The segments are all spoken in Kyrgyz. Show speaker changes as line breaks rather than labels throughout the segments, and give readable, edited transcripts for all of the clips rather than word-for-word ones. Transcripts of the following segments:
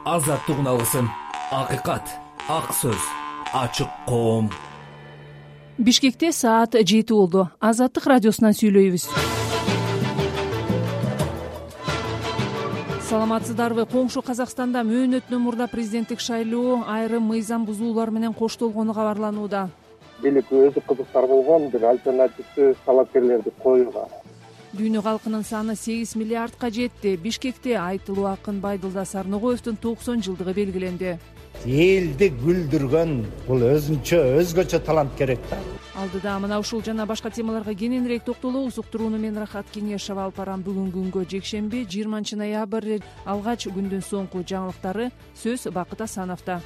азаттык үналысын, акыйкат, ак сөз, ачык коом.
Бишкекте саат 7 болду. Азаттык радиосунан сүйлөйбүз. Саламатсыздарбы? Коңшу Казакстанда мөөнөтүнөн мурда президенттик шайлоо айрым мыйзам бузуулар менен коштолгону кабарланууда.
Бийлик өзү кызыктар болгон бир альтернативдүү талапкерлерди коюуга.
Дүйнө калкынын саны 8 миллиардка жетти. Бишкекте айтылуу акын Байдылда Сарногоевдун 90 жылдыгы белгиленди.
Элди күлдүргөн бул өзгөчө талант керек да.
Алдыда мына ушул жана башка темаларга кененирээк токтолобуз. Уктурууну мен Рахат Кеңешева алып барам. Бүгүнкү күнгө жекшемби 20 ноябрь алгач күндүн соңку жаңылыктары. Сөз Бакыт Асановдо.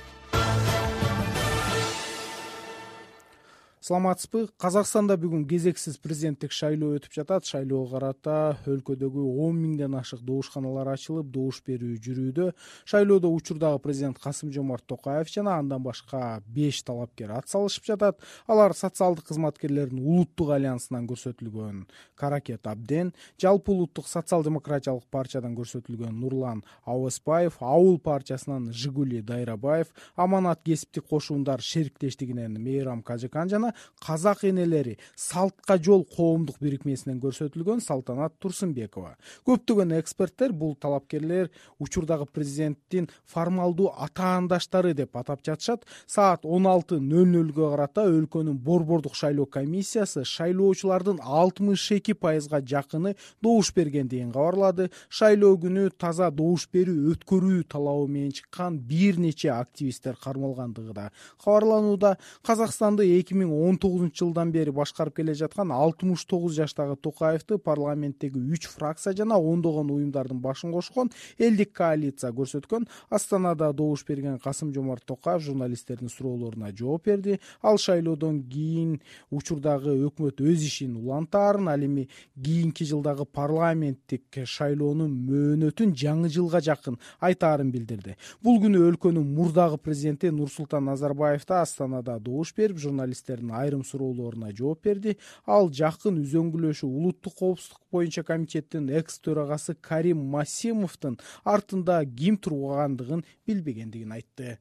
Саламатсызбы? Казакстанда бүгүн кезексиз президенттик шайлоо өтүп жатат. Шайлоого карата өлкөдөгү 10 миңден ашык добушканалар ачылып, добуш берүү жүрүүдө. Шайлоодо учурдагы президент Касым-Жомарт Токаев жана андан башка 5 талапкер ат салышып жатат. Алар социалдык кызматкерлердин улуттук альянсынан көрсөтүлгөн Каракет Абден, жалпы улуттук социал-демократиялык партиядан көрсөтүлгөн Нурлан Ауыспаев, Ауыл партиясынан Жигули Дайрабаев, Аманат кесиптик кошундар шериктештигинен Мейрам Кажыкан жана Казак энелери салтка жол коомдук бирикмесинен көрсөтүлгөн Салтанат Турсунбекова. Көптөгөн эксперттер бул талапкерлер учурдагы президенттин формалдуу атаандаштары деп атап жатышат. Саат 16:00 карата өлкөнүн борбордук шайлоо комиссиясы шайлоочулардын 62% жакыны добуш бергендигин кабарлады. Шайлоо күнү таза добуш берүү өткөрүү талабы менен чыккан бир нече активисттер кармалгандыгы да кабарланууда. Казакстанды 2019 жылдан бери башкарып келе жаткан 69 жаштагы Токаевди парламенттеги 3 фракция жана ондогон уюмдардын башын кошкон элдик коалиция көрсөткөн. Астанада добуш берген Касым-Жомарт Токаев журналисттердин суроолоруна жооп берди. Ал шайлоодон кийин учурдагы өкмөт өз ишин улантаарын, ал эми кийинки жылдагы парламенттик шайлоонун мөөнөтүн жаңы жылга жакын айтаарын билдирди. Бул күнү өлкөнүн мурдагы президенти Нурсултан Назарбаев да Астанада добуш берип, журналисттердин айрым суроолоруна жооп берди. Ал жакын үзөңгүлөшүү улуттук коопсуздук боюнча комитеттин экс төрагасы Карим Масимовдун артында ким тургандыгын билбегендигин айтты.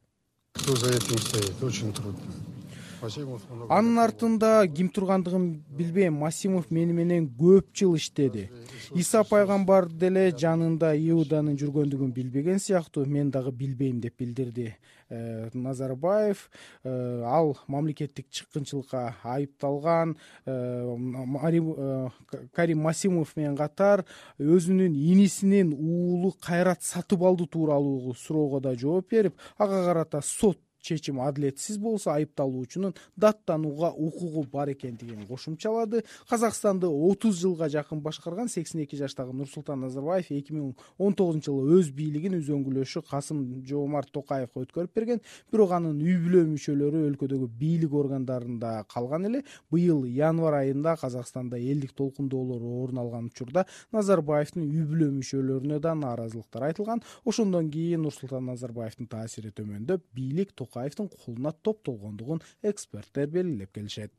Кто за этим стоит? Очень трудно.
Анын артында ким тургандыгын билбейм. Масимов мени менен көп жыл иштеди. Иса пайгамбар деле жанында Иуданын жүргөндүгүн билбеген сыяктуу, мен дагы билбейм деп билдирди Назарбаев. Ал мамлекеттик чыккынчылыкка айыпталган Карим Масимов менен катар өзүнүн инисинин уулу Кайрат Сатыбалды тууралуу суроого да жооп берип, ага карата сот чечим адилетсиз болсо айыпталуучунун даттанууга укугу бар экендигин кошумчалады. Казакстанды 30 жылга жакын башкарган 82 жаштагы Нурсултан Назарбаев 2019 жылы өз бийлигин үзөңгүлөшү Касым-Жомарт Токаевга өткөрүп берген. Бирок анын үй бүлө мүчөлөрү өлкөдөгү бийлик органдарында калган эле. Быйыл январь айында Казакстанда элдик толкундоолор орун алган учурда Назарбаевдин үй бүлө мүчөлөрүнө да нааразылыктар айтылган. Ошондон кийин Нурсултан Назарбаевдин таасири төмөндөп, бийлик Токаевдин колуна топтолгондугун эксперттер белгилеп келишет.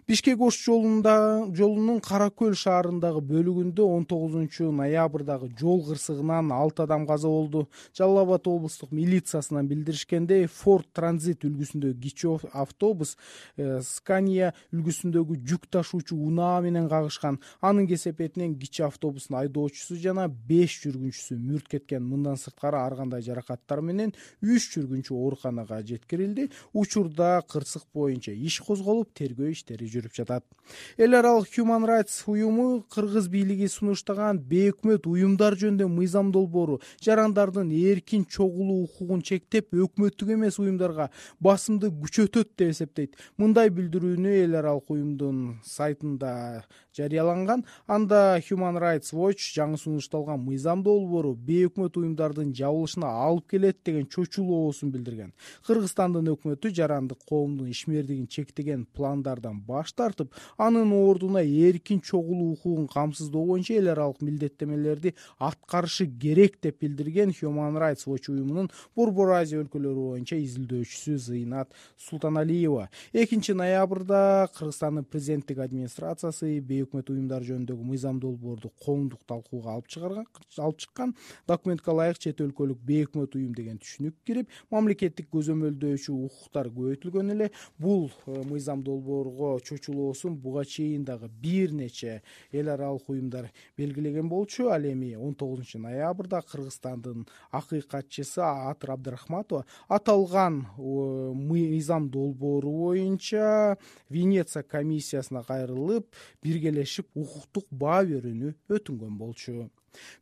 Бишкек-Ош жолунун Каракөл шаарындагы бөлүгүндө 19 ноябрдагы жол кырсыгынан 6 адам каза болду. Жалал Абад облустук милициясынан билдиришкендей, Ford Transit үлгүсүндөгү кичи автобус Scania үлгүсүндөгү жүк ташуучу унаа менен кагышкан. Анын кесепетинен кичи автобустун айдоочусу жана 5 жүргүнчүсү мүрт кеткен. Мындан сырткары ар кандай жаракаттар менен 3 жүргүнчү ооруканага жеткирилди. Учурда кырсык боюнча иш козголуп, тергөө иштери жүрүп жатат. Эл аралык Human Rights уюму кыргыз бийлиги сунуштаган бейөкмөт уюмдар жөнүндө мыйзам долбоору жарандардын эркин чогулуу укугун чектеп, өкмөттүк эмес уюмдарга басымды күчөтөт деп эсептейт. Мындай билдирүүнү эл аралык уюмдун сайтында жарыяланган. Анда Human Rights Watch жаңы сунушталган мыйзам долбоору бейөкмөт уюмдардын жабылышына алып келет деген чочулуусун билдирген. Кыргызстандын өкмөтү жарандык коомдун ишмердигин чектеген пландардан мыйзамдан баш тартып, анын ордуна эркин чогулуу укугун камсыздоо боюнча эл аралык милдеттенмелерди аткарышы керек деп билдирген Human Rights Watch уюмунун Борбор Азия өлкөлөрү боюнча изилдөөчүсү Зыйнат Султаналиева 2 ноябрда Кыргызстандын президенттик администрациясы бейөкмөт уюмдар жөнүндөгү мыйзам долбоорду коомдук талкууга алып чыккан. Документке ылайык чет өлкөлүк бейөкмөт уюм деген түшүнүк кирип, мамлекеттик көзөмөлдөөчү укуктар көбөйтүлгөн эле. Бул мыйзам долбоорго чочулоосун буга чейин дагы бир нече эл аралык уюмдар белгилеген болчу. Ал эми 19 ноябрда Кыргызстандын акыйкатчысы Атыр Абдрахматова аталган мыйзам долбоору боюнча Венеция комиссиясына кайрылып, биргелешип укуктук баа берүүнү өтүнгөн болчу.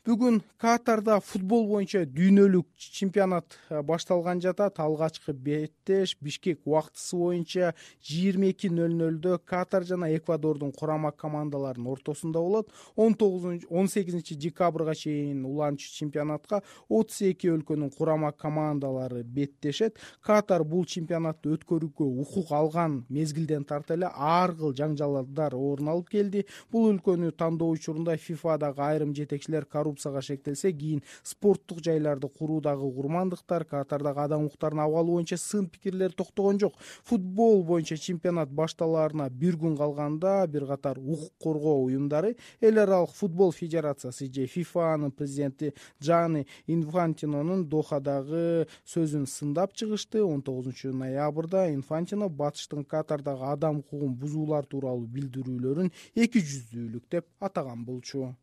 Бүгүн Катарда футбол боюнча дүйнөлүк чемпионат башталган жатат. Алгачкы беттеш Бишкек убактысы боюнча 22:00 Катар жана Эквадордун курама командаларынын ортосунда болот. 18 декабрга чейин уланчу чемпионатка 32 өлкөнүн курама командалары беттешет. Катар бул чемпионатты өткөрүүгө укук алган мезгилден тарта эле ар кыл жаңжалдар орун алып келди. Бул өлкөнү тандоо учурунда ФИФАдагы айрым жетекчилер коррупцияга шектелсе, кийин спорттук жайларды куруудагы курмандыктар, Катардагы адам укуктарынын абалы боюнча сын пикирлер токтогон жок. Футбол боюнча чемпионат башталаарына бир күн калганда бир катар укук коргоо уюмдары эл аралык футбол федерациясы же ФИФАнын президенти Джанни Инфантинонун Дохадагы сөзүн сындап чыгышты. 19 ноябрда Инфантино батыштын Катардагы адам укугун бузуулар тууралуу билдирүүлөрүн экижүздүүлүк деп атаган болчу.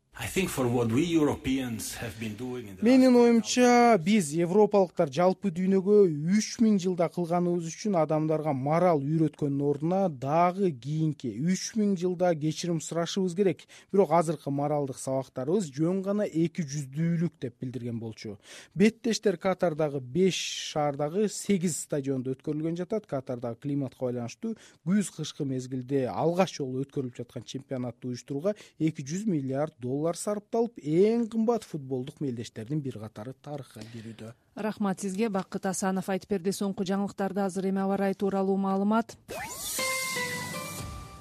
Менин оюмча, биз европалыктар жалпы дүйнөгө 3000 жылда кылганыбыз үчүн адамдарга мораль үйрөткөндүн ордуна дагы кийинки 3000 жылда кечирим сурашыбыз керек. Бирок азыркы моралдык сабактарыбыз жөн гана экижүздүүлүк деп билдирген болчу. Беттештер Катардагы 5 шаардагы 8 стадиондо өткөрүлгөн жатат. Катардагы климатка байланыштуу күз-кышкы мезгилде алгач жолу өткөрүлүп жаткан чемпионатты уюштурууга $200 миллиард сарпталып, эң кымбат футболдук мелдештердин бир катары тарыхка кирүүдө.
Рахмат сизге. Бакыт Асанов айтып берди. Соңку жаңылыктарды азыр эми аба ырайы тууралуу маалымат.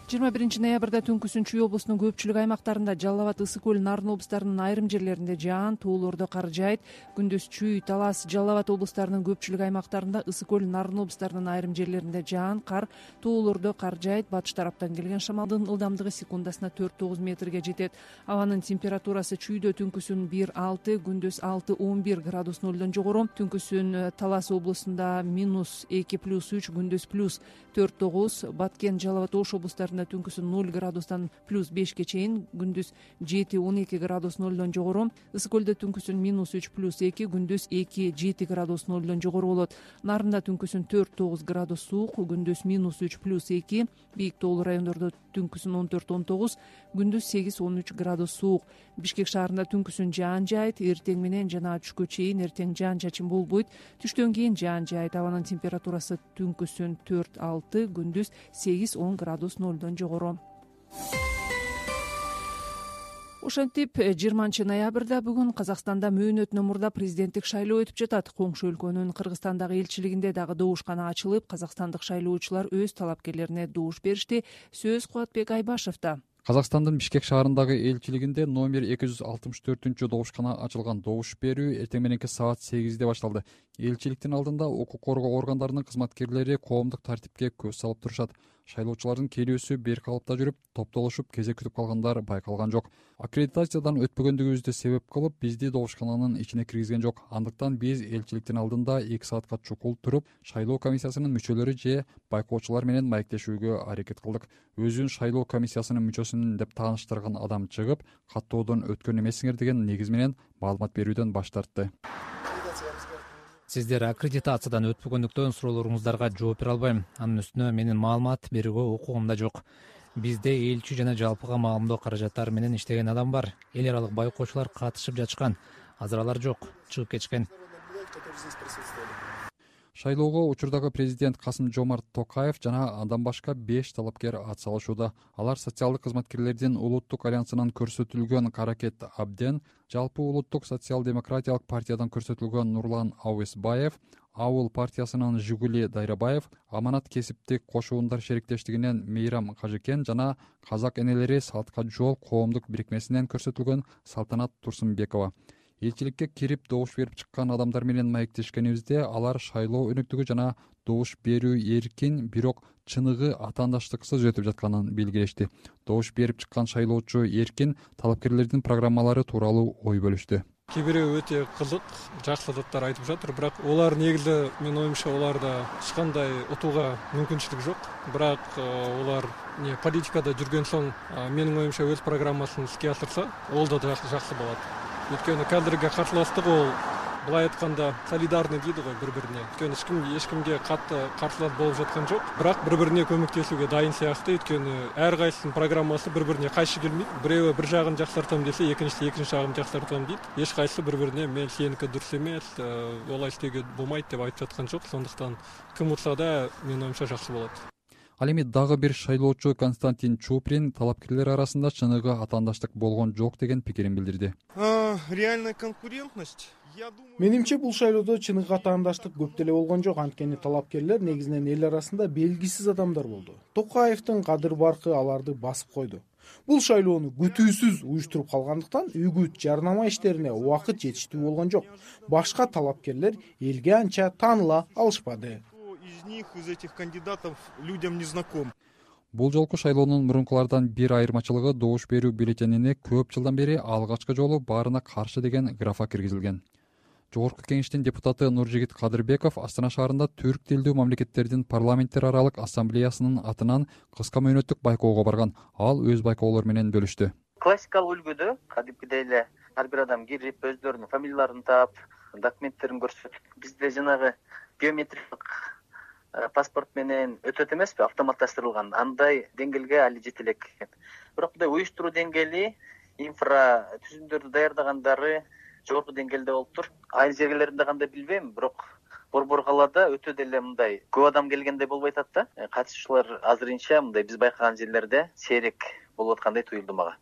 21 ноябрда түнкүсүн Чүй облусунун көпчүлүк аймактарында, Жалал Абад, Ысык көл, Нарын облустарынын айрым жерлеринде жаан, туулоордо кар жаайт. Күндүз Чүй, Талас, Жалал Абад облустарынын көпчүлүк аймактарында, Ысык көл, Нарын облустарынын айрым жерлеринде жаан, кар, туулоордо кар жаайт. Батыш тараптан келген шамалдын ылдамдыгы секундасына 4-9 метрге жетет. Абанын температурасы Чүйдө түнкүсүн 1-6, күндүз 6-11 градус нөлдөн жогору. Түнкүсүн Талас облусунда -2+3, күндүз +4-9. Баткен, Жалал Абад, Ош облустарында түнкүсүн 0 градустан +5ке чейин, күндүз 7-12 градус нөлдөн жогору. Ысык көлдө түнкүсүн -3+2, күндүз 2-7 градус нөлдөн жогору болот. Нарында түнкүсүн 4-9 градус суук, күндүз -3+2. Бийик тоолуу райондордо түнкүсүн 14-19, күндүз 8-13 градус суук. Бишкек шаарында түнкүсүн жаан жаайт, эртең менен жана түшкө чейин эртең жаан чачын болбойт. Түштөн кийин жаан жаайт. Абанын температурасы түнкүсүн 4-6, күндүз 8-10 градус нөлдөн жогору. Ошентип 20 ноябрда бүгүн Казакстанда мөөнөтүнөн мурда президенттик шайлоо өтүп жатат. Коңшу өлкөнүн Кыргызстандагы элчилигинде дагы добушкана ачылып, казакстандык шайлоочулар өз талапкерлерине добуш беришти. Сөз Кубатбек Айбашевда.
Казакстандын Бишкек шаарындагы элчилигинде номер 264 добушкана ачылган. Добуш берүү эртең мененки саат 8-де башталды. Элчиликтин алдында укук коргоо органдарынын кызматкерлери коомдук тартипке көз салып турушат. Шайлоочулардын келүүсү бир калыпта жүрүп, топтолушуп кезек күтүп калгандар байкалган жок. Аккредитациядан өтпөгөндүгүбүздү себеп кылып, бизди добушкананын ичине киргизген жок. Андыктан биз элчиликтин алдында 2 саатка чукул туруп, шайлоо комиссиясынын мүчөлөрү же байкоочулар менен маектешүүгө аракет кылдык. Өзүн шайлоо комиссиясынын мүчөсүмүн деп тааныштырган адам чыгып, каттоодон өткөн эмессиңер деген негиз менен маалымат берүүдөн баш тартты.
Сиздер аккредитациядан өтпөгөндүктөн суроолоруңуздарга жооп бере албайм. Анын үстүнө менин маалымат берүүгө укугум да жок. Бизде элчи жана жалпыга маалымдоо каражаттары менен иштеген адам бар. Эл аралык байкоочулар катышып жатышкан. Азыр алар жок, чыгып кетишкен.
Шайлоого учурдагы президент Касым-Жомарт Токаев жана андан башка 5 талапкер ат салышууда. Алар социалдык кызматкерлердин улуттук альянсынан көрсөтүлгөн Каракет Абден, жалпы улуттук социал-демократиялык партиядан көрсөтүлгөн Нурлан Ауесбаев, Ауыл партиясынын Жигули Дайрабаев, Аманат кесиптик кошуундар шериктештигинен Мейрам Кажыкен жана Казак энелери салтка жол коомдук бирикмесинен көрсөтүлгөн Салтанат Турсунбекова. Элчиликке кирип добуш берип чыккан адамдар менен маектешкенибизде алар шайлоо өнүктүгү жана добуш берүү эркин, бирок чыныгы атаандаштыксыз өтүп жатканын белгилешти. Добуш берип чыккан шайлоочу Эркин талапкерлердин программалары тууралуу ой бөлүштү.
Кээ бирөө өтө кызык, жакшы заттар айтып жатыр, бирок олар негизи менин оюмча оларда эч кандай утууга мүмкүнчүлүк жок. Бирок олар политикада жүргөн соң менин оюмча өз программасын иске асырса, ол да жакшы болот. Өйткөнү кадырга каршылаштык ол былай айтканда солидарный дейді ғой бири-бирине. Өйткөнү эч кимге катты каршылаш болуп жаткан жок, бирок бири-бирине көмөктөшүүгө дайын сыяктуу. Өйткөнү ар кайсынын программасы бири-бирине кайшы келмейт. Бирөө бир жагын жаксартам десе, экинчиси экинчи жагын жаксартам дейт. Эч кайсы бири-бирине мен сеники дурус эмес, олай иштөөгө болбойт деп айтып жаткан жок. Сондуктан ким утса да менин оюмча жакшы болот.
Ал эми дагы бир шайлоочу Константин Чуприн талапкерлер арасында чыныгы атаандаштык болгон жок деген пикирин билдирди.
Реальная конкурентность.
Менимче бул шайлоодо чыныгы атаандаштык көп деле болгон жок, анткени талапкерлер негизинен эл арасында белгисиз адамдар болду. Токаевдин кадыр баркы аларды басып койду. Бул шайлоону күтүүсүз уюштуруп калгандыктан үгүт жарнама иштерине убакыт жетиштүү болгон жок. Башка талапкерлер элге анча тааныла алышпады.
Из этих кандидатов людям не знаком.
Бул жолку шайлоонун мурункулардан бир айырмачылыгы добуш берүү бюллетенине көп жылдан бери алгачкы жолу баарына каршы деген графа киргизилген. Жогорку кеңештин депутаты Нуржигит Кадырбеков Астана шаарында түрк тилдүү мамлекеттердин парламенттер аралык ассамблеясынын атынан кыска мөөнөттүк байкоого барган. Ал өз байкоолору менен бөлүштү.
Классикалык үлгүдө кадимкидей эле ар бир адам кирип өздөрүнүн фамилияларын таап, документтерин көрсөтүп, бизде жанагы биометрикалык паспорт менен өтөт эмеспи, автоматташтырылган. Андай деңгээлге али жете элек экен. Бирок мындай уюштуруу деңгээли, инфра түзүмдөрдү даярдагандары жогорку деңгээлде болуптур. Айыл жерлеринде кандай билбейм, бирок борбор калаада өтө деле мындай көп адам келгендей болбой атат да. Катышуучулар азырынча мындай биз байкаган жерлерде сейрек болуп аткандай туюлду мага.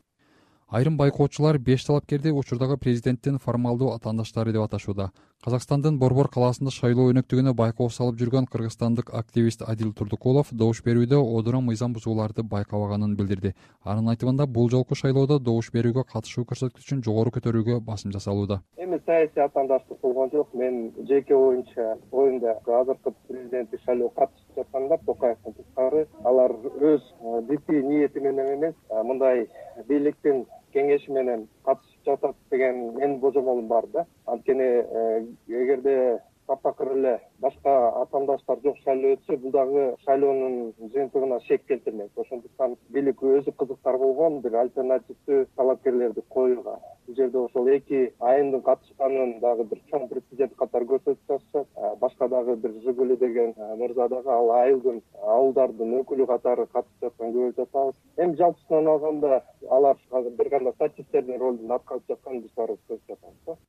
Айрым байкоочулар 5 талапкерди учурдагы президенттин формалдуу атаандаштары деп аташууда. Казакстандын Борбор калаасында шайлоо өнөктүгүнө байкоо салып жүргөн кыргызстандык активист Адил Турдукулов добуш берүүдө одура мыйзам бузууларды байкабаганын билдирди. Анын айтымында бул жолку шайлоодо добуш берүүгө катышуу көрсөткүчүн жогору көтөрүүгө басым жасалууда.
Эми саясий атаандаштык болгон жок. Мен жеке оюмда азыркы президенттик шайлоого катышып жаткандар Токаевдин тышкары алар өз жеке ниети менен эмес, мындай бийликтин кеңеши менен катышып жатат деген менин божомолум бар да. Анткени эгерде таптакыр эле башка атаандаштар жок шайлоо өтсө, бул дагы шайлоонун жыйынтыгына шек келтирмек. Ошондуктан бийлик өзү кызыктар болгон бир альтернативдүү талапкерлерди коюуга. Бул жерде ошол 2 айымдын катышканын дагы бир чоң прецедент катары көрсөтүп жатышат. Башка дагы бир Жигули деген мырза дагы ал айылдын ауылдардын өкүлү катары катышып жатканын көрүп жатабыз. Эми жалпысынан алганда алар бир кандай статисттердин ролун аткарып жатканын биз баарыбыз көрүп жатабыз.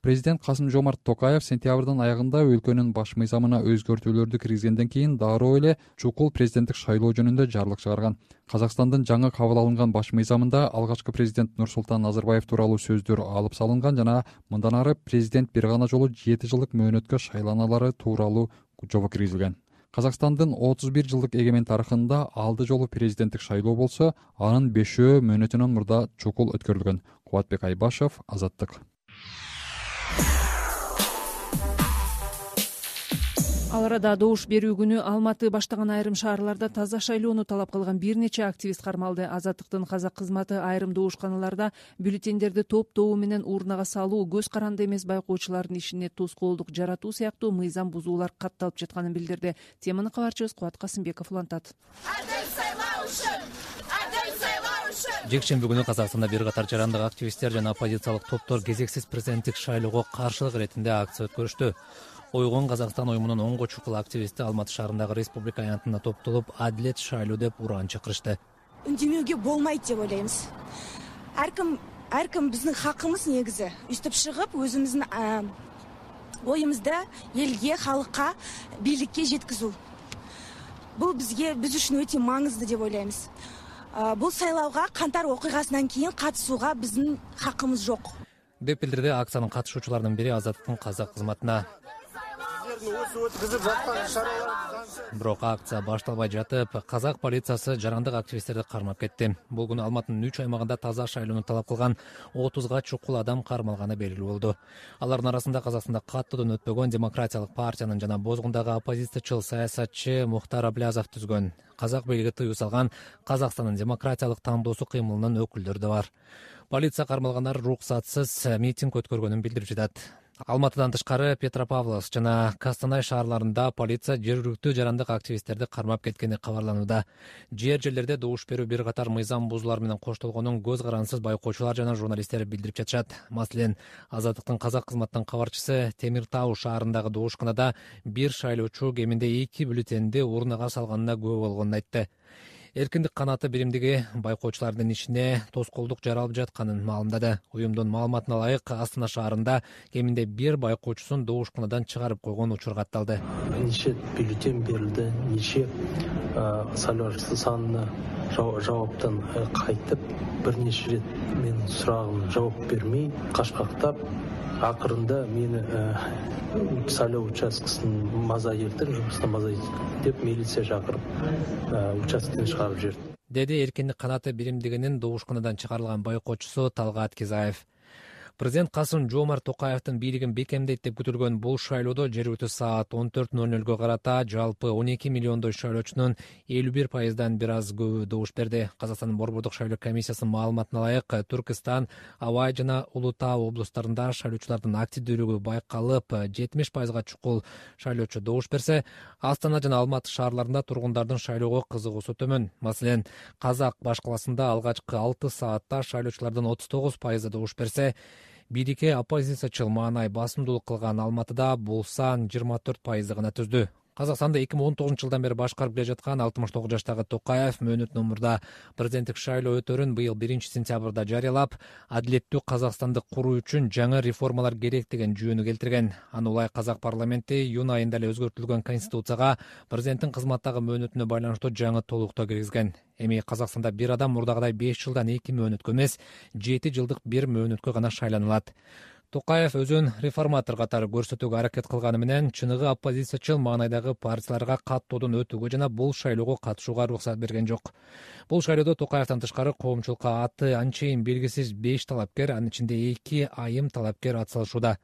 Президент Касым-Жомарт Токаев сентябрдын аягында өлкөнүн баш мыйзамына өзгөртүүлөрдү киргизгенден кийин дароо эле чукул президенттик шайлоо жөнүндө жарлык чыгарган. Казакстандын жаңы кабыл алынган баш мыйзамында алгачкы президент Нурсултан Назарбаев тууралуу сөздөр алып салынган жана мындан ары президент бир гана жолу 7 жылдык мөөнөткө шайланалары тууралуу жобо киргизилген. Казакстандын 31 жылдык эгемен тарыхында алды жолу президенттик шайлоо болсо, анын 5 мөөнөтүнөн мурда чукул өткөрүлгөн. Кубатбек Айбашев, Азаттык.
Ал арада добуш берүү күнү Алматы баштаган айрым шаарларда таза шайлоону талап кылган бир нече активист кармалды. Азаттыктын казак кызматы айрым добушканаларда бюллетендерди топтоо менен урнага салуу, көз каранды эмес байкоочулардын ишине тоскоолдук жаратуу сыяктуу мыйзам бузуулар катталып жатканын билдирди. Теманы кабарчыбыз Кубат Касымбеков улантат.
Жекшемби күнү Казакстанда бир катар жарандык активисттер жана оппозициялык топтор кезексиз президенттик шайлоого каршылык иретинде акция өткөрүштү. Ойгон Казакстан уюмунун 10 чукул активисти Алматы шаарындагы Республика аянтында топтолуп, адилет шайлоо деп уран чакырышты.
Үндемөөгө болмойт деп ойлойбуз. Ар ким биздин хакыбыз негизи үстүп чыгып, өзүбүздүн оюмузду элге, халыкка, бийликке жеткизүү. Бул биз үчүн өтө маңызды деп ойлойбуз. Бул сайлоого кантар окуйгасынан кийин катышууга биздин хакыбыз жок
деп билдирди акциянын катышуучуларынын бири Азаттыктын казак кызматына.
катышып өткүзүп жаткан иш-чаралар.
Бирок акция башталбай жатып, казак полициясы жарандык активисттерди кармап кетти. Бул күнү Алматынын 3 аймагында таза шайлоону талап кылган 30га чукул адам кармалганы белгилүү болду. Алардын арасында Казакстанда каттуудан өтпөгөн Демократиялык партиянын жана Бозгундагы оппозициячыл саясатчы Мухтар Аблязов түзгөн, казак бийлиги тыюу салган Казакстандын демократиялык тандоосу кыймылынын өкүлдөрү да бар. Полиция кармалгандар уруксатсыз митинг өткөргөнүн билдирип жатат. Алматыдан тышкары Петропавловск жана Костанай шаарларында полиция жергиликтүү жарандык активисттерди кармап кеткени кабарланууда. Жерлерде добуш берүү бир катар мыйзам бузуулар менен коштолгонун көз карансыз байкоочулар жана журналисттер билдирип жатышат. Маселен, Азаттыктын казак кызматынын кабарчысы Темир Тау шаарындагы добушканада бир шайлоочу кеминде 2 бюллетенди урнага салганына күбө болгонун айтты. Эркиндик канаты биримдиги байкоочулардын ишине тоскоолдук жаралып жатканын маалымдады. Уюмдун маалыматына ылайык, Астана шаарында кеминде бир байкоочусун добушканадан чыгарып койгон учур катталды.
Нече бюллетен берилди, нече сайлоо санына жауаптан кайтып, бир нече рет менин сурагыма жооп бермей, кашкактап, акырында мени сайлоо участкасынын мазаилдер, жумуштан мазаил деп милиция чакырып, участкадан чыгарып жиберди,
деди эркиндик канаты биримдигинин добушканадан чыгарылган байкоочусу Талгат Кизаев. Президент Касым-Жомарт Токаевдин бийлигин бекемдейт деп күтүлгөн бул шайлоодо жергиликтүү саат 14:00 карата жалпы 12 миллиондой шайлоочунун 51%дан бир аз көбү добуш берди. Казакстандын Борбордук шайлоо комиссиясынын маалыматына ылайык, Түркистан, Абай жана Улуу Таа облустарында шайлоочулардын активдүүлүгү байкалып, 70%га чукул шайлоочу добуш берсе, Астана жана Алматы шаарларында тургундардын шайлоого кызыгуусу төмөн. Маселен, Казак баш каласында алгачкы 6 саатта шайлоочулардын 39% добуш берсе, бирикке оппозициячыл маанай басымдуулук кылган Алматыда бул сан 24% гана түздү. Казакстанда 2019-жылдан бери башкарып келе жаткан 69 жаштагы Токаев мөөнөт номурда президенттик шайлоо өтөрүн быйыл 1-сентябрда жарыялап, адилеттүү Казакстанды куруу үчүн жаңы реформалар керек деген жүйөнү келтирген. Аны улай казак парламенти июнь айында эле өзгөртүлгөн конституцияга президенттин кызматтагы мөөнөтүнө байланыштуу жаңы толуктоо киргизген. Эми Казакстанда бир адам мурдагыдай 5 жылдан 2 мөөнөткө эмес, 7 жылдык бир мөөнөткө гана шайланылат. Токаев өзүн реформатор катары көрсөтүүгө аракет кылганы менен чыныгы оппозициячыл маанайдагы партияларга каттоодон өтүүгө жана бул шайлоого катышууга уруксат берген жок. Бул шайлоодо Токаевден тышкары коомчулукка аты анчейин белгисиз 5 талапкер, анын ичинде 2 айым талапкер атсалышууда.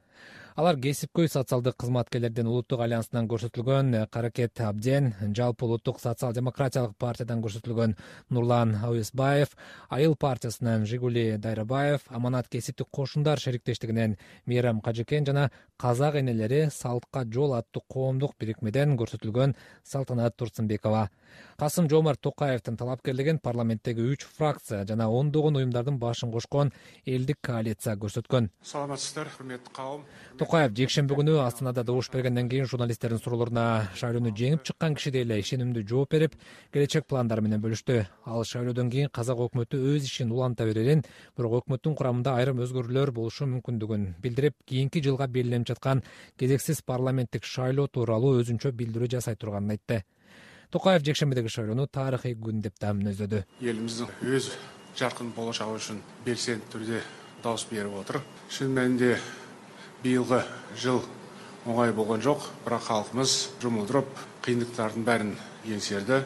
Алар кесипкөй социалдык кызматкерлердин улуттук альянсынан көрсөтүлгөн Каракет Абден, жалпы улуттук социал-демократиялык партиядан көрсөтүлгөн Нурлан Ауесбаев, Айыл партиясынан Жигули Дайрабаев, Аманат кесиптик кошундар шериктештигинен Мейрам Кажекен жана Казак энелери Салтка жол аттуу коомдук бирикмеден көрсөтүлгөн Салтанат Турсунбекова. Касым-Жомарт Токаевдин талапкерлигин парламенттеги 3 фракция жана ондогон уюмдардын башын кошкон элдик коалиция көрсөткөн.
Саламатсыздар, урметтүү кавым.
Токаев жекшемби күнү Астанада добуш бергенден кийин журналисттердин суроолоруна шайлоону жеңип чыккан кишидей эле ишенимдүү жооп берип, келечек пландары менен бөлүштү. Ал шайлоодон кийин казак өкмөтү өз ишин уланта берерин, бирок өкмөттүн курамында айрым өзгөрүүлөр болушу мүмкүндүгүн билдирип, кийинки жылга белгиленип жаткан кезексиз парламенттик шайлоо тууралуу өзүнчө билдирүү жасай турганын айтты. Токаев жекшембидеги шайлоону тарыхый күн деп да мүнөздөдү.
Элибиздин өз жаркын болочогу үчүн белсенди түрдө добуш берип отур. Чын мәнинде быйылгы жыл оңай болгон жок, бирок халкыбыз жумулдуруп, кыйынчылыктардын бәрин еңсерди.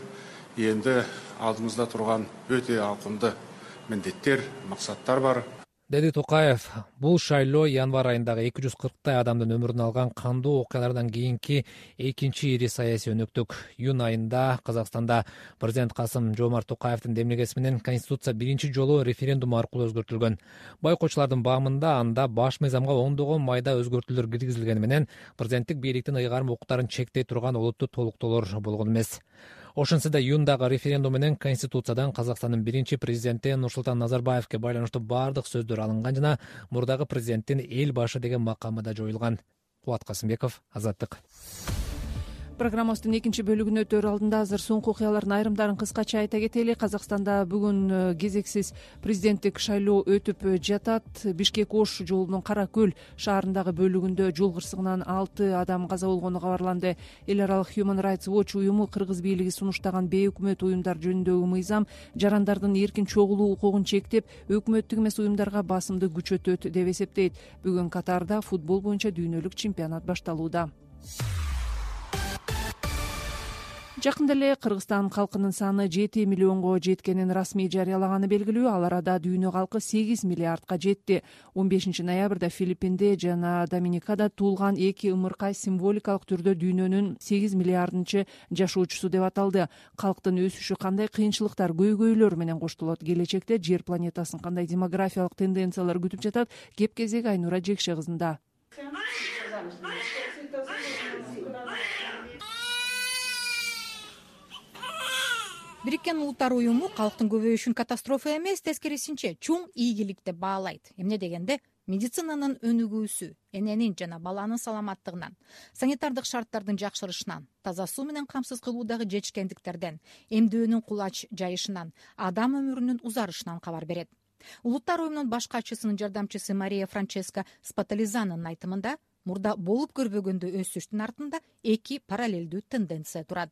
Энди алдымызда турган өтө ауқымды міндеттер, мақсаттар бар.
Деди Токаев, бул шайлоо январь айындагы 240 адамдын өмүрүн алган кандуу окуялардан кийинки экинчи ири саясий өнөктүк. Июнь айында Казакстанда президент Касым-Жомарт Токаевдин демилгеси менен конституция биринчи жолу референдум аркылуу өзгөртүлгөн. Байкоочулардын баамында анда баш мыйзамга ондогон майда өзгөртүүлөр киргизилгени менен президенттик бийликтин ыйгарым укуктарын чектей турган олуттуу толуктоолор болгон эмес. Ошентсе да июндагы референдум менен конституциядан Казакстандын биринчи президенти Нурсултан Назарбаевке байланыштуу баардык сөздөр алынган жана мурдагы президенттин эл башы деген макамы да жоюлган. Кубат Касымбеков, Азаттык.
Программабыздын экинчи бөлүгүнө өтөр алдында азыр соңку окуялардын айрымдарын кыскача айта кетели. Казакстанда бүгүн кезексиз президенттик шайлоо өтүп жатат. Бишкек-Ош жолунун Кара Көл шаарындагы бөлүгүндө жол кырсыгынан 6 адам каза болгону кабарланды. Эл аралык Human Rights Watch уюму кыргыз бийлиги сунуштаган бейөкмөт уюмдар жөнүндөгү мыйзам жарандардын эркин чогулуу укугун чектеп, өкмөттүк эмес уюмдарга басымды күчөтөт деп эсептейт. Бүгүн Катарда футбол боюнча дүйнөлүк чемпионат башталууда. Жакында эле Кыргызстан калкынын саны 7 миллионго жеткенин расмий жарыялаганы белгилүү. Ал арада дүйнө калкы 8 миллиардка жетти. 15 ноябрда Филиппинде жана Доминикада туулган эки ымыркай символикалык түрдө дүйнөнүн 8 миллиардынчы жашоочусу деп аталды. Калктын өсүшү кандай кыйынчылыктар, көйгөйлөр менен коштолот? Келечекте жер планетасын кандай демографиялык тенденциялар күтүп жатат? Кеп кезек Айнура Жекше кызында.
Бириккен Улуттар уюму калктын көбөйүшүн катастрофа эмес, тескерисинче чоң ийгилик деп баалайт. Эмне дегенде, медицинанын өнүгүүсү, эненин жана баланын саламаттыгынан, санитардык шарттардын жакшырышынан, таза суу менен камсыз кылуудагы жетишкендиктерден, эмдөөнүн кулач жайышынан, адам өмүрүнүн узарышынан кабар берет. Улуттар уюмунун баш катчысынын жардамчысы Мария Франческа Спатализанын айтымында, мурда болуп көрбөгөндө өсүштүн артында эки параллелдүү тенденция турат.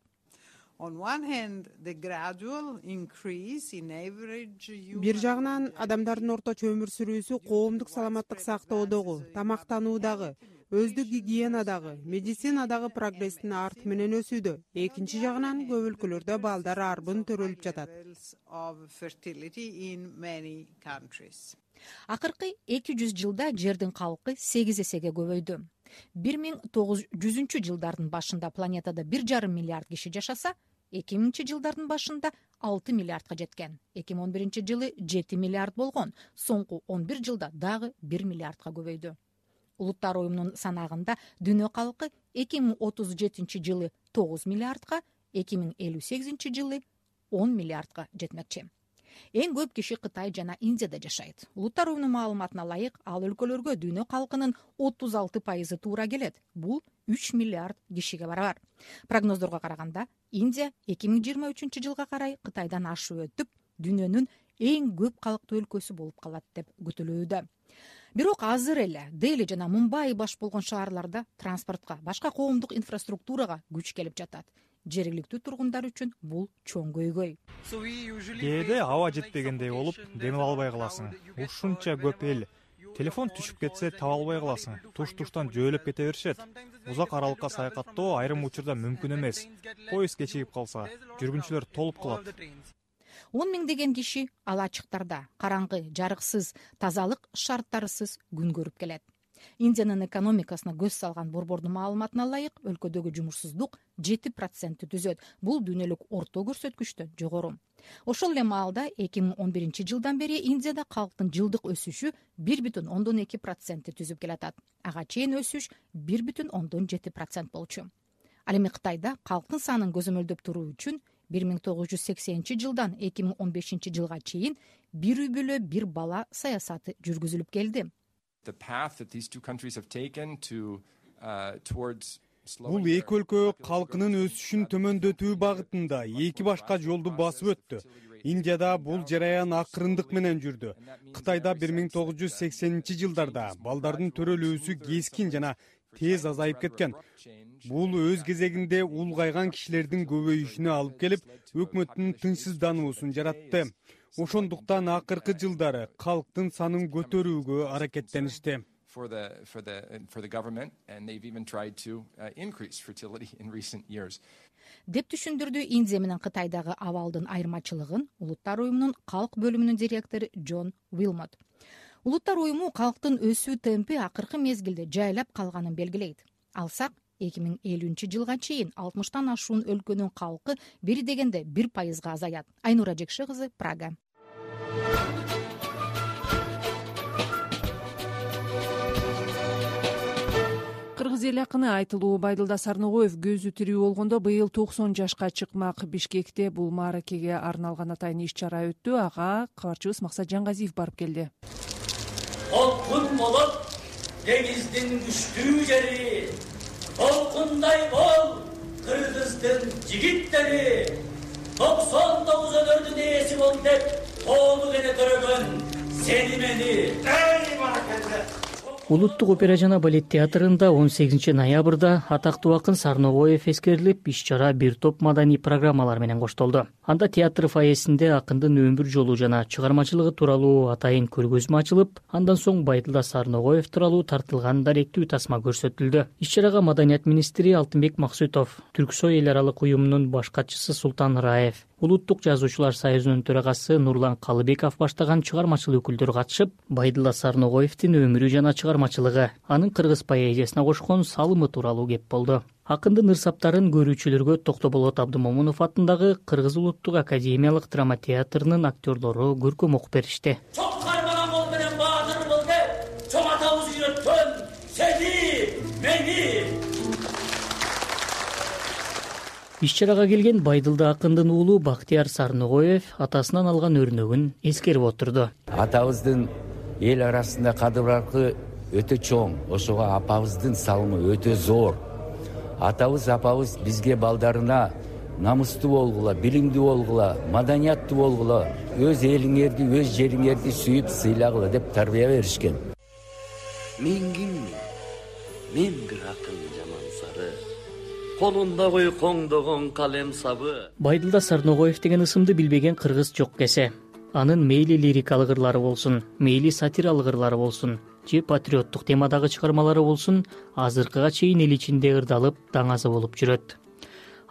Бир жагынан адамдардын орточо өмүр сүрүүсү коомдук саламаттык сактоодогу, тамактануудагы, өздүк гигиенадагы, медицинадагы прогресстин арты менен өсүүдө. Экинчи жагынан көп өлкөлөрдө балдар арбын төрөлүп жатат.
Акыркы 200 жылда жердин калкы 8 эсеге көбөйдү. 1900 жылдардын башында планетада 1,5 миллиард киши жашаса, 2000 жылдардын башында 6 миллиардка жеткен. 2011 жылы 7 миллиард болгон. Соңку 11 жылда дагы 1 миллиардка көбөйдү. Улуттар уюмунун санагында дүйнө калкы 2037 жылы 9 миллиардка, 2058 жылы 10 миллиардка жетмекчи. Эң көп киши Кытай жана Индияда жашайт. Улуттар уюмунун маалыматына ылайык, ал өлкөлөргө дүйнө калкынын 36% туура келет. Бул 3 миллиард кишиге барабар. Прогноздорго караганда, Индия 2023 жылга карай Кытайдан ашып өтүп, дүйнөнүн эң көп калктуу өлкөсү болуп калат деп күтүлүүдө. Бирок азыр эле Дели жана Мумбай баш болгон шаарларда транспортко, башка коомдук инфраструктурага күч келип жатат. Жергиликтүү тургундар үчүн бул чоң көйгөй.
Кээде аба жетпегендей болуп, демил албай каласың. Ушунча көп эл. Телефон түшүп кетсе, таба албай каласың. Туш-туштан жөөлөп кете беришет. Узак аралыкка саякаттоо айрым учурда мүмкүн эмес. Поезд кечигип калса, жүргүнчүлөр толуп калат.
10 миңдеген киши ал ачыктарда, караңгы, жарыксыз, тазалык шарттарысыз күн көрүп келет. Индиянын экономикасына көз салган борбордун маалыматына ылайык, өлкөдөгү жумушсуздук 7% түзөт. Бул дүйнөлүк орто көрсөткүчтөн жогору. Ошол эле маалда 2011 жылдан бери Индияда калктын жылдык өсүшү 1,2% түзүп келатат. Ага чейин өсүш 1,7% болчу. Ал эми Кытайда калктын санын көзөмөлдөп туруу үчүн 1980 жылдан 2015 жылга чейин бир үй бөлө бир бала саясаты жүргүзүлүп келди.
Бул эки өлкө калкынын өсүшүн төмөндөтүү багытында эки башка жолду басып өттү. Индияда бул жараян акырындык менен жүрдү. Кытайда 1980 жылдарда балдардын төрөлүүсү кескин жана тез азайып кеткен. Бул өз кезегинде улгайган кишилердин көбөйүшүнө алып келип, өкмөттүн тынчсыздануусун жаратты. Ошондуктан акыркы жылдары калктын санын көтөрүүгө аракеттеништи.
Деп түшүндүрдү Индия менен Кытайдагы абалдын айырмачылыгын Улуттар уюмунун калк бөлүмүнүн директору Джон Уилмот. Улуттар уюму калктын өсүү темпи акыркы мезгилде жайлап калганын белгилейт. Алсак, 2050 жылга чейин 60тан ашуун өлкөнүн калкы бери дегенде 1% азаят. Айнура Жекше кызы, Прага.
Кыргыз эл акыны Айтылуу Байдылда Сарногоев көзү тирүү болгондо быйыл 90 жашка чыкмак. Бишкекте бул мааракеге арналган атайын иш-чара өттү. Ага кабарчыбыз Максат Жаңгазиев барып келди.
Толкун болуп, деңиздин күчтүү жери, толкундай бол, Кыргыздын жигиттери, 99 өнөрдүн ээси бол деп тоолук эне төрөгөн сени мени.
Улуттук опера жана балет театрында 18 ноябрда атактуу акын Сарногоев эскерилип, иш-чара бир топ маданий программалар менен коштолду. Анда театр фойесинде акындын өмүр жолу жана чыгармачылыгы тууралуу атайын көргөзмө ачылып, андан соң Байдылда Сарногоев тууралуу тартылган даректүү тасма көрсөтүлдү. Иш-чарага Маданият министри Алтынбек Максутов, Түрксой эл аралык уюмунун баш катчысы Султан Раев, Улуттук жазуучулар союзунун төрагасы Нурлан Калыбеков баштаган чыгармачыл өкүлдөр катышып, Байдылда Сарногоевдин өмүрү жана чыгармачылыгы, анын кыргыз поэзиясына кошкон салымы тууралуу кеп болду. Акындын ырсаптарын көрүүчүлөргө Токтоболот Абдымомунов атындагы Кыргыз улуттук академиялык драма театрынын актерлору көркөм окуп беришти.
Чоң кармаган кол менен баатыр бол деп, чоң атабыз үйрөткөн сени, мени.
Иш-чарага келген Байдылда акындын уулу Бактияр Сарногоев атасынан алган өрнөгүн эскерип отурду.
Атабыздын эл арасында кадыр-баркы өтө чоң, ошого апабыздын салымы өтө зор. Атабыз, апабыз бизге балдарына намыстуу болгула, билимдүү болгула, маданияттуу болгула, өз элиңерди, өз жериңерди сүйүп сыйлагыла деп тарбия беришкен.
Мен киммин? Мен бир акын жаман сары. Колунда койкоңдогон калем сабы.
Байдылда Сарногоев деген ысымды билбеген кыргыз жок кесе. Анын мейли лирикалык ырлары болсун, мейли сатиралык ырлары болсун, же патриоттук темадагы чыгармалары болсун, азыркыга чейин эл ичинде ырдалып, даңазы болуп жүрөт.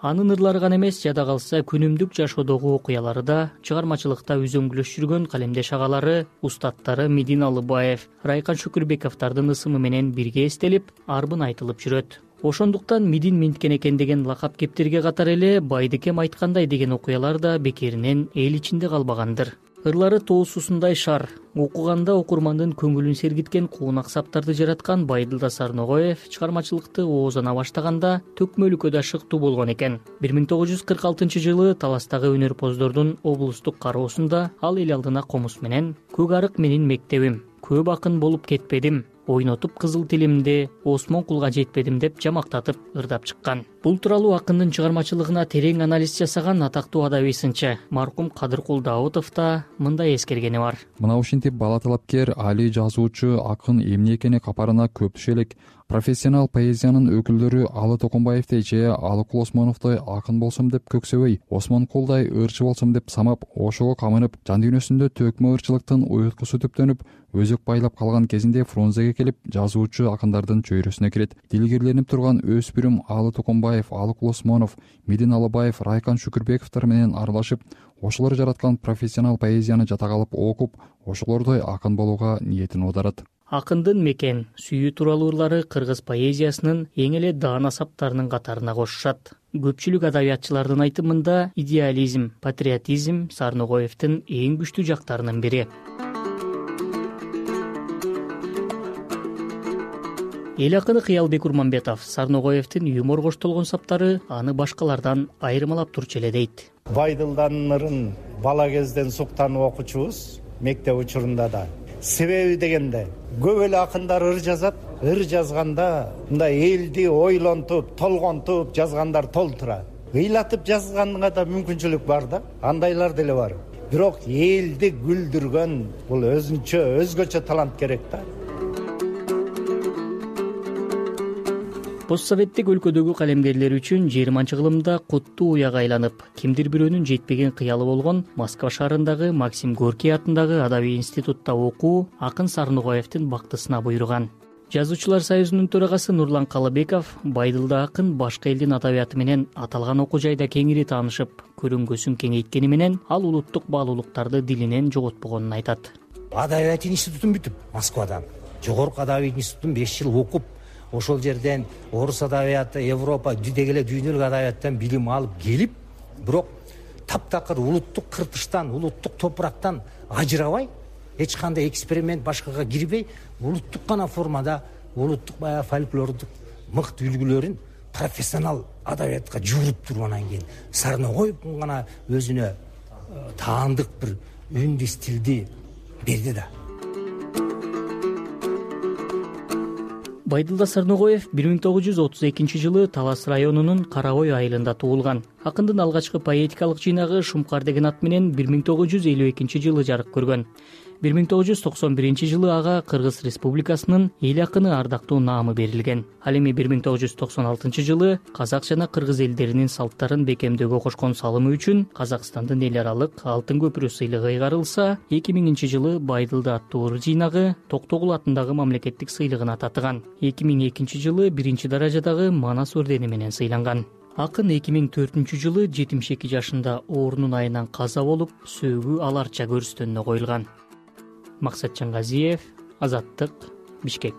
Анын ырлары гана эмес, жада калса күнүмдүк жашоодогу окуялары да, чыгармачылыкта үзөңгүлөш жүргөн калемдеш агалары, устаттары Медин Алыбаев, Райкан Шүкүрбековдардын ысымы менен бирге эстелип, арбын айтылып жүрөт. Ошондуктан Медин Менткен экен деген лакап кептерге катар эле Байдыкем айткандай деген окуялар да бекеринен эл ичинде калбагандыр. Ырлары тоосусундай шар, окуганда окурмандын көңүлүн сергиткен куунак саптарды жараткан Байдылда Сарногоев чыгармачылыкты оозана баштаганда төкмөлүккө да шыктуу болгон экен. 1946-жылы Таластагы өнөрпоздордун облустук кароосунда ал эл алдына комуз менен «Көк арык менин мектебим, көп акын болуп кетпедим, ойнотуп кызыл тилимди, Осмон кулга жетпедим» деп жамактатып ырдап чыккан. Бул тууралуу акындын чыгармачылыгына терең анализ жасаган атактуу адаби сынчы маркум Кадыркул Даутов да мындай эскергени бар.
Мына ушинтип бала талапкер, али жазуучу, акын эмне экени капарына көп түшө элек. Профессионал поэзиянын өкүлдөрү Алы Токонбаевдей же Алыкул Осмоновдой акын болсом деп көксөбөй, Осмон Кулдай ырчы болсом деп самап, ошого камынып, жан дүйнөсүндө төкмө ырчылыктын уюткусу түптөнүп, өзөк байлап калган кезинде Фрунзеге келип, жазуучу акындардын чөйрөсүнө кирет. Дилгерленип турган өспүрүм Алы Токонбаев, Алыкул Осмонов, Медин Алыбаев, Райкан Шүкүрбековдор менен аралашып, ошолор жараткан профессионал поэзияны жатак алып окуп, ошолордой акын болууга ниетин оодарат.
Акындын мекен, сүйүү тууралуу ырлары кыргыз поэзиясынын эң эле даана саптарынын катарына кошушат. Көпчүлүк адабиятчылардын айтымында идеализм, патриотизм Сарногоевдин эң күчтүү жактарынын бири. Эл акыны Кыялбек Урманбетов Сарногоевдин юмор коштолгон саптары аны башкалардан айырмалап турчу эле дейт.
Байдылданын ырын бала кезден суктанып окучубуз, мектеп учурунда да. Себеби дегенде көп эле акындар ыр жазат, ыр жазганда мындай элди ойлонтуп, толгонтуп жазгандар толтура. Ыйлатып жазганга да мүмкүнчүлүк бар да, андайлар деле бар. Бирок элди күлдүргөн бул өзгөчө талант керек да.
Постсоветтик өлкөдөгү калемгерлер үчүн 20-жылымда куттуу уяга айланып, кимдир бирөөнүн жетпеген кыялы болгон Москва шаарындагы Максим Горький атындагы Адабий институтта окуу акын Сарногоевдин бактысына буйруган. Жазуучулар союзунун төрагасы Нурлан Калыбеков Байдылда акын башка элдин адабияты менен аталган окуу жайда кеңири таанышып, көрүнгөсүн кеңейткени менен ал улуттук баалуулуктарды дилинен жоготпогонун айтат.
Адабият институтун бүтүп, Москвада жогорку адабий институтун 5 жыл окуп, ошол жерден орус адабияты, Европа, деги эле дүйнөлүк адабияттан билим алып келип, бирок таптакыр улуттук кыртыштан, улуттук топурактан ажырабай, эч кандай эксперимент башкага кирбей, улуттук гана формада улуттук баягы фольклордук мыкты үлгүлөрүн профессионал адабиятка жууруп туруп анан кийин Сарногоев гана өзүнө таандык бир үндү стилди берди да.
Байдылда Сарногоев 1932-жылы Талас районунун Карагой айылында туулган. Акындын алгачкы поэтикалык жыйнагы Шумкар деген ат менен 1952-жылы жарык көргөн. жылы ага Кыргыз Республикасынын эл акыны ардактуу наамы берилген. Ал эми 1996 жылы казак жана кыргыз элдеринин салттарын бекемдөөгө кошкон салымы үчүн Казакстандын эл аралык алтын көпүрө сыйлыгы ыйгарылса, 2000 жылы Байдылды аттуу ыр жыйнагы Токтогул атындагы мамлекеттик сыйлыгына татыган. 2002 жылы биринчи даражадагы Манас ордени менен сыйланган. Акын 2004 жылы 72 жашында оорунун айынан каза болуп, сөөгү аларча көрүстөнүнө коюлган. Максатжан Газиев, Азаттык, Бишкек.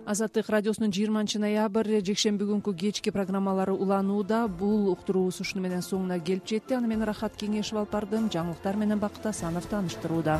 Азаттык радиосунун 20 ноябрь жекшемби күнкү кечки программалары уланууда. Бул уктуруубуз ушуну менен соңуна келип жетти. Аны мен Рахат Кеңешев алып бардым. Жаңылыктар менен Бакыт Асанов тааныштырууда.